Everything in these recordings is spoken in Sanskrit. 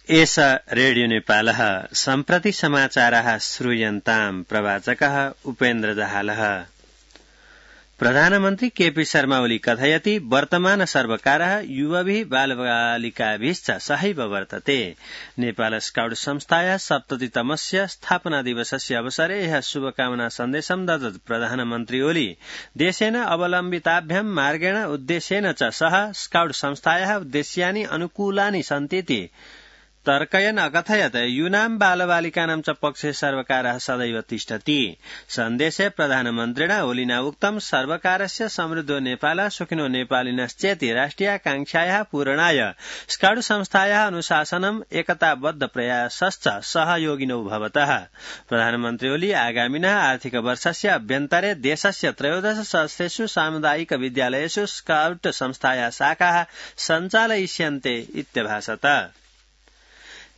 एष रेडियो नेपालः सम्प्रति समाचाराः श्रूयन्ताम् प्रवाचकः उपेन्द्र दाहालः। प्रधानमन्त्री केपी शर्मा ओली कथयति वर्तमान सर्वकारः युवभिः बालबालिकाभिश्च सहैव वर्तते। नेपाल स्काउट संस्थायाः 70तमस्य स्थापना दिवसस्य अवसरे यः शुभकामना सन्देशं ददत् प्रधानमन्त्री ओली देशेन अवलम्बिताभ्यां मार्गेण उद्देश्येन च सह स्काउट संस्थायाः उद्देश्यानि अनुकूलानि सन्तीति तर्कयन् अकथयत् यूनां बालबालिकानां च पक्षे सर्वकारः सदैव तिष्ठति। सन्देशे प्रधानमन्त्रिणा ओलिना उक्तं सर्वकारस्य समृद्धो नेपाल सुखिनो नेपालिनश्चेति राष्ट्रियाकांक्षायाः पूरणाय स्काउट संस्थायाः अनुशासनम् एकताबद्ध प्रयासश्च सहयोगिनो भवतः। प्रधानमन्त्री ओली आगामिनः आर्थिक वर्षस्य अभ्यन्तरे देशस्य 13,000 सामुदायिक विद्यालयेषु स्काउट संस्थायाः शाखाः सञ्चालयिष्यन्ते इत्यभाषत।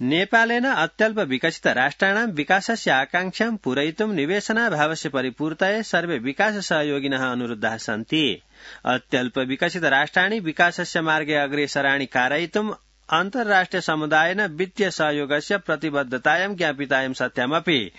नेपालेन अत्यल्प विकसित राष्ट्राणां विकासस्य आकांक्षां पूरयितुं निवेशनाभावस्य परिपूर्तये सर्वे विकास सहयोगिनः अनुरुद्धाः सन्ति। अत्यल्प विकसित राष्ट्राणि विकासस्य मार्गे अग्रेसराणि कारयितुं अन्ताराष्ट्रिय समुदायेन वित्तीय सहयोगस्य प्रतिबद्धतायां ज्ञापितायां सत्यामपि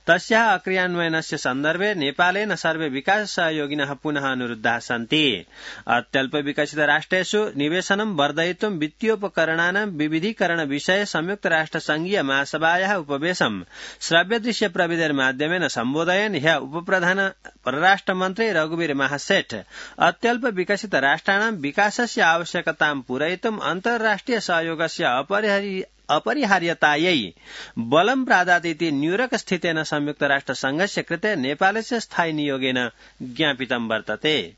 तस्याः अक्रियान्वयनस्य सन्दर्भे नेपालेन सर्वे विकास सहयोगिनः पुनः अनुरुद्धाः सन्ति। अत्यल्प विकसित राष्ट्रेषु निवेशनं वर्धयितुं वित्तीयोपकरणानां विविधीकरण विषये संयुक्त राष्ट्र संघीय महासभायाः उपवेशं श्रव्यदृश्य प्रविधिर्माध्यमेन सम्बोधयन् ह्यः उपप्रधान परराष्ट्रमन्त्री रघुवीर महासेठ अत्यल्प विकसित राष्ट्राणां विकासस्य आवश्यकतां पूरयितुं अन्ताराष्ट्रिय सहयोगस्य अपरिहार्यतायै बलं प्रादातीति न्यूयॉर्क स्थितेन संयुक्त राष्ट्र संघस्य कृते नेपालस्य स्थायी नियोगेन ज्ञापितं वर्तते।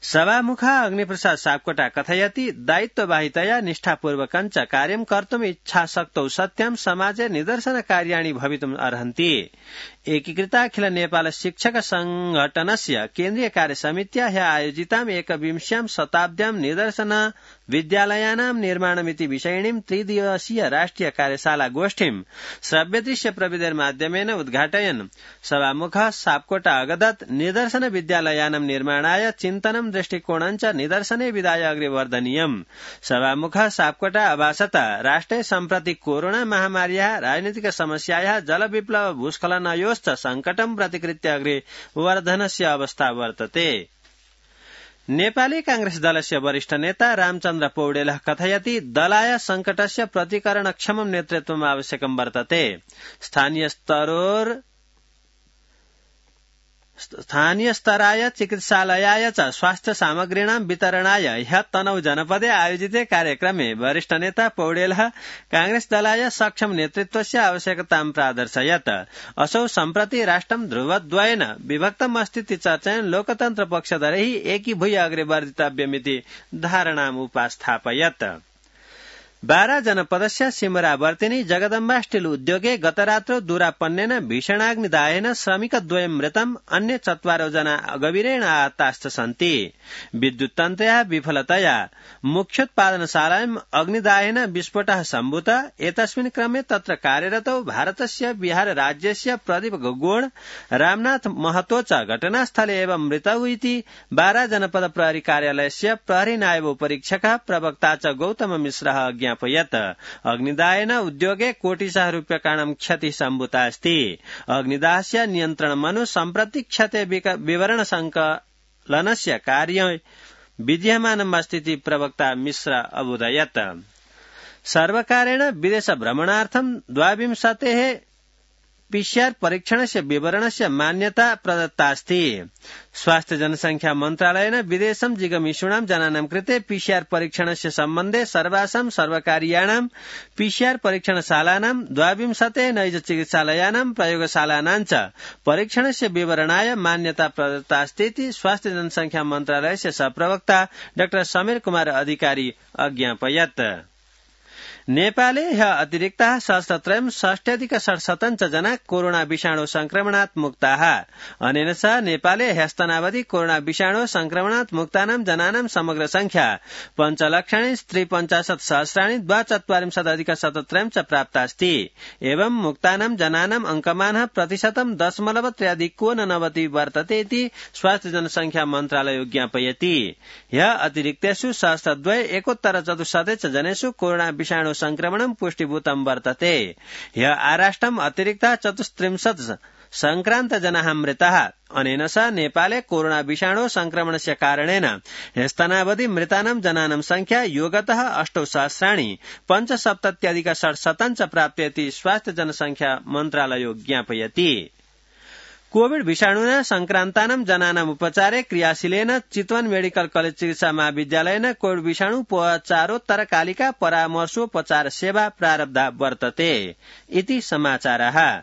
सभामुखः अग्निप्रसाद सापकोटा कथयति दायित्ववाहितया निष्ठापूर्वकं च कार्यं कर्तुम् इच्छाशक्तौ सत्यां समाजे निदर्शनकार्याणि भवितुम् अर्हन्ति। एकीकृताखिल नेपाल शिक्षक संघटनस्य केन्द्रीय कार्यसमित्या ह्यः आयोजिताम् 21व्यां शताब्द्यां निदर्शन विद्यालयानां निर्माणमिति विषयिणीं 3 दिवसीय राष्ट्रिय कार्यशाला गोष्ठीं श्रव्यदृश्य प्रविधिर्माध्यमेन उद्घाटयन् सभामुखः सापकोटा अगदत् निदर्शन विद्यालयानां निर्माणाय चिन्तनं दृष्टिकोणं च निदर्शने विधाय अग्रे वर्धनीयम्। सभामुखः सापकोटा अभाषत राष्ट्रे सम्प्रति कोरोना महामार्याः राजनीतिक समस्यायाः जलविप्लव भूस्खलनयोश्च संकटं प्रतिकृत्य अग्रे वर्धनस्य अवस्था वर्तते। नेपाली कांग्रेस दलस्य वरिष्ठ नेता रामचन्द्र पौडेलः कथयति दलाय संकटस्य प्रतिकरणक्षमं नेतृत्वम् आवश्यकं वर्तते। स्थानीय स्तराय चिकित्सालयाय च स्वास्थ्य सामग्रीणां वितरणाय ह्यः तनहु जनपदे आयोजिते कार्यक्रमे वरिष्ठ नेता पौडेलः कांग्रेस दलाय सक्षम नेतृत्वस्य आवश्यकतां प्रादर्शयत्। असौ सम्प्रति राष्ट्रं ध्रुवद्वयेन विभक्तम् अस्तीति चर्चयन् लोकतन्त्र पक्षधरैः एकीभूय अग्रे वर्धितव्यमिति धारणाम् उपास्थापयत्। बारा जनपदस्य सिमरावर्तिनी जगदम्बा स्टील उद्योगे गतरात्रौ दूरापन्नेन भीषणाग्निदाहेन श्रमिकद्वयं मृतम् अन्य 4 जना गभीरेण आहताश्च सन्ति। विद्युत्तन्त्रयाः विफलतया मुख्योत्पादनशालायाम् अग्निदाहेन विस्फोटः सम्भूतः। एतस्मिन् क्रमे तत्र कार्यरतौ भारतस्य बिहार राज्यस्य प्रदीप गगोण रामनाथ महतो च घटनास्थले एव मृतौ इति बारा जनपद प्रहरी कार्यालयस्य प्रहरी नायब उपरीक्षकः प्रवक्ता च गौतम मिश्रः ज्ञापयत्। अग्निदाहेन उद्योगे कोटिशः रूप्यकाणां क्षतिः सम्भूता अस्ति। अग्निदाहस्य नियन्त्रणमनु सम्प्रति क्षते विवरण संकलनस्य कार्य विद्यमानम् अस्तीति प्रवक्ता मिश्र अबोधयत्। सर्वकारेण विदेश भ्रमणार्थं 22 पीसीआर परीक्षणस्य विवरणस्य मान्यता प्रदत्ता अस्ति। स्वास्थ्य जनसंख्या मन्त्रालयेन विदेशं जिगमिषूणां जनानां कृते पीसीआर परीक्षणस्य सम्बन्धे सर्वासां सर्वकारीयाणां पीसीआर परीक्षणशालानां 22 नैज चिकित्सालयानां प्रयोगशालानां च परीक्षणस्य विवरणाय मान्यता प्रदत्ता अस्ति इति स्वास्थ्य जनसंख्या मन्त्रालयस्य सहप्रवक्ता डाक्टर समीर कुमार अधिकारी अज्ञापयत्। नेपाले ह्यः अतिरिक्ताः 1,360 जना कोरोना विषाणु संक्रमणात् मुक्ताः। अनेन सह नेपाले ह्यस्तनावधि कोरोना विषाणु संक्रमणात् मुक्तानां जनानां समग्र संख्या 5,63,742,473 च प्राप्ता अस्ति। एवं मुक्तानां जनानां अंकमानः प्रतिशतं 0.3 वर्तते इति स्वास्थ्य जनसंख्या मन्त्रालयो ज्ञापयति। ह्यः अतिरिक्तेषु 2,114 जनेषु कोरोना विषाणु संक्रमणं पुष्टिभूतं वर्तते। ह्य आराष्ट्रम् अतिरिक्त 34 संक्रान्तजनाः मृताः। अनेन सह नेपाले कोरोना विषाणु संक्रमणस्य कारणेन ह्यस्तनावधि मृतानां जनानां संख्या योगतः 8,65,670 च प्राप्यति स्वास्थ्य जनसंख्या मन्त्रालयो ज्ञापयति। कोविड विषाणुना संक्रान्तानां जनानाम् उपचारे क्रियाशीलेन चितवन मेडिकल कलेज चिकित्सा महाविद्यालयेन कोविड विषाणु उपचारोत्तरकालिका परामर्शोपचार सेवा प्रारब्धा वर्तते इति समाचारः।